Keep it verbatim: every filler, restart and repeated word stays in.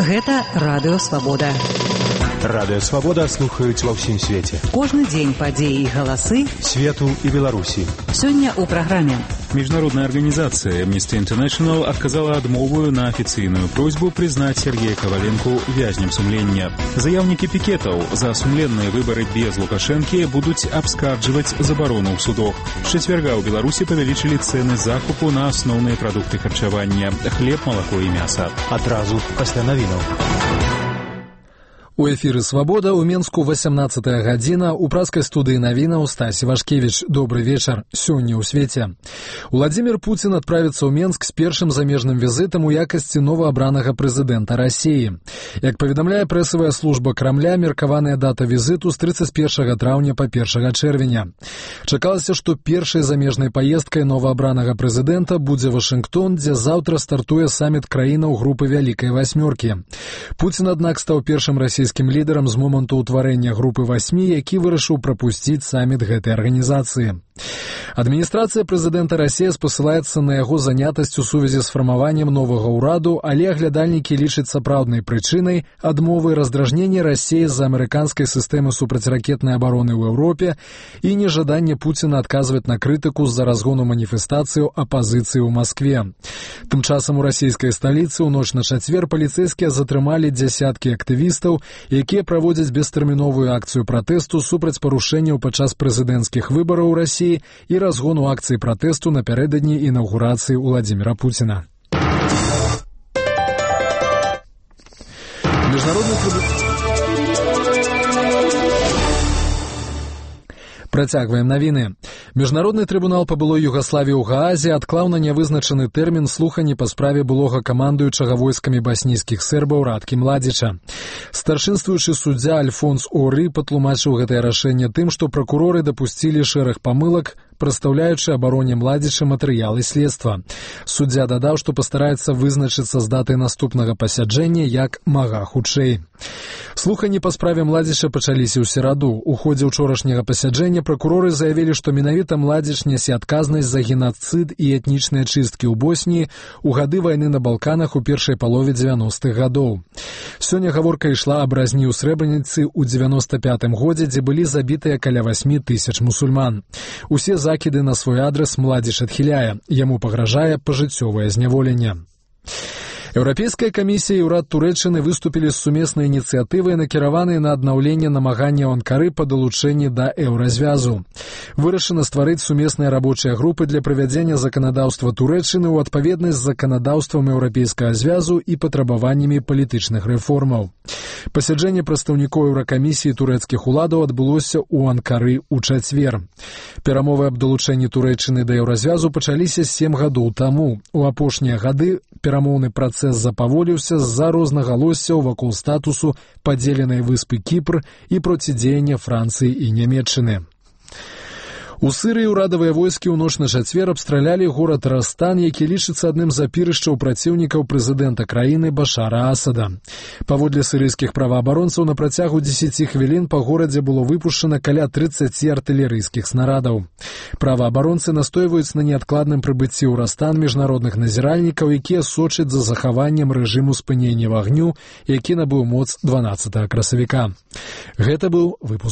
Гэта Радыё Свабода. Радыё Свабода слухаюць ва ўсім свеце. Кожны дзень падзеі і галасы свету і Беларусі. Сёння ў праграме. Международная организация Amnesty International отказала адмову на официальную просьбу признать Сергея Коваленко вязнем сумлення. Заявники пикетов за сумленные выборы без Лукашенки будут обскардживать заборону в судах. С четверга у Беларуси повеличили цены закупу на основные продукты харчевания – хлеб, молоко и мясо. Адразу пасля навінаў. У эфіры «Свабода» у Менску восемнадцатая гадзіна, у праскай студыі навінаў Стась Івашкевіч. Добрый вечар. Сёння ў свеце. Владимир Путин отправится ў Менск с першым замежным візітам у якасці новаабранага прэзідэнта России. Як паведамляе прэсавая служба Крамля, меркаваная дата візіту з тридцать первого траўня па першага чэрвеня. Чакалася, што першай замежнай паездкай новаабранага прэзідэнта будзе Вашынгтон, дзе заўтра стартуе саміт краінаў групы Вялікай Васьмёркі. Путин, аднак, стаў першым расійскім лідарам з моманту ўтварэння групы восьмі, які вырашыў прапусціць саміт гэтай арганізацыі. Адміністрацыя прэзідэнта России спасылаецца на яго занятасць у сувязі з фармаваннем новага ўраду, але аглядальнікі лічаць сапраўднай прычынай адмовы раздражнення России з-за амерыканскай сістэмы супрацьракетнай абароны ў Еўропе і нежаданне Пуціна адказваць на крытыку з-за разгону маніфестацыяў апазіцыі ў Маскве. Тым часам у расійскай сталіцы ў ноч на чацвер паліцэйскія затрымалі дзясяткі актывістаў, якія праводзяць бестэрміновую акцыю пратэсту супраць парушэнняў падчас прэзідэнцкіх выбараў у Расіі і разгону акцыі пратэсту напярэдадні інаўгурацыі Владимира Путина. Международный Працягваем навіны. Міжнародны трыбунал па былой Югаславіі ў Гаазе адклаў на нявызначаны тэрмін слухані па справе былога камандуючага войскамі баснійскіх сербаў Радкі Младзіча. Старшынствуючы суддзя Альфонс Оры патлумачыў гэтае рашэнне тым, што пракуроры дапусцілі шэраг памылак, прадстаўляючы абароне Младзіча матэрыялы следства. Суддзя дадаў, што пастараецца вызначыцца з датай наступнага пасяджэння як мага хутчэй. Слухані па справе Младзіча пачаліся ў сераду. У ходзе ўчорашняга пасяджэння пракуроры заявілі, што менавіта Младзіч нясе адказнасць за геноцид і этнічныя чысткі ў Босніі у гады вайны на Балканах у першай палове дзевяностых гадоў. Сёння гаворка ішла аб разні ў Срэбраніцы ў дзевяноста пятым годзе, дзе былі забітыя каля восьмі тысяч мусульман. Усе закіды на свой адрас Младзіч адхіляе. Яму пагражае пажыццёвае зняволенне. Еўрапейская камісія і ўрад Турэччыны выступілі з сумеснай ініцыятывай, накіраванай на аднаўленне намагання Анкары па далучэнні да еўразвязу. Вырашана стварыць сумесныя рабочыя групы для правядзення заканадаўства Турэччыны ў адпаведнасць з заканадаўствам еўрапейскага звязу і патрабаваннямі палітычных рэформаў. Пасяджэнне прадстаўнікоў еўракамісіі турэцкіх уладаў адбылося ў Анкары ў чацвер. Перамовы аб далучэнні Турэччыны да еўразвязу пачаліся сем гадоў таму. У апошнія гады перамоўны працэс запаволіўся з-за рознагалоссяў вакол статусу падзеленай выспы Кіпр і процідзеяння Францыі і Нямецчыны. У Сырыі ўрадавыя войскі ў ноч на чацвер абстралялі горад Растан, які лічыцца адным з апірышчаў праціўнікаў прэзідэнта краіны Башара Асада. Паводле сырыйскіх праваабаронцаў, на працягу дзесяці хвілін па горадзе было выпушчана каля трыццаці артылерыйскіх снарадаў. Праваабаронцы настойваюць на неадкладным прыбыцці ў Растан міжнародных назіральнікаў, якія сочаць за захаваннем рэжыму спынення вагню, які набыў моц дванаццатага красавіка. Гэта быў выпуск.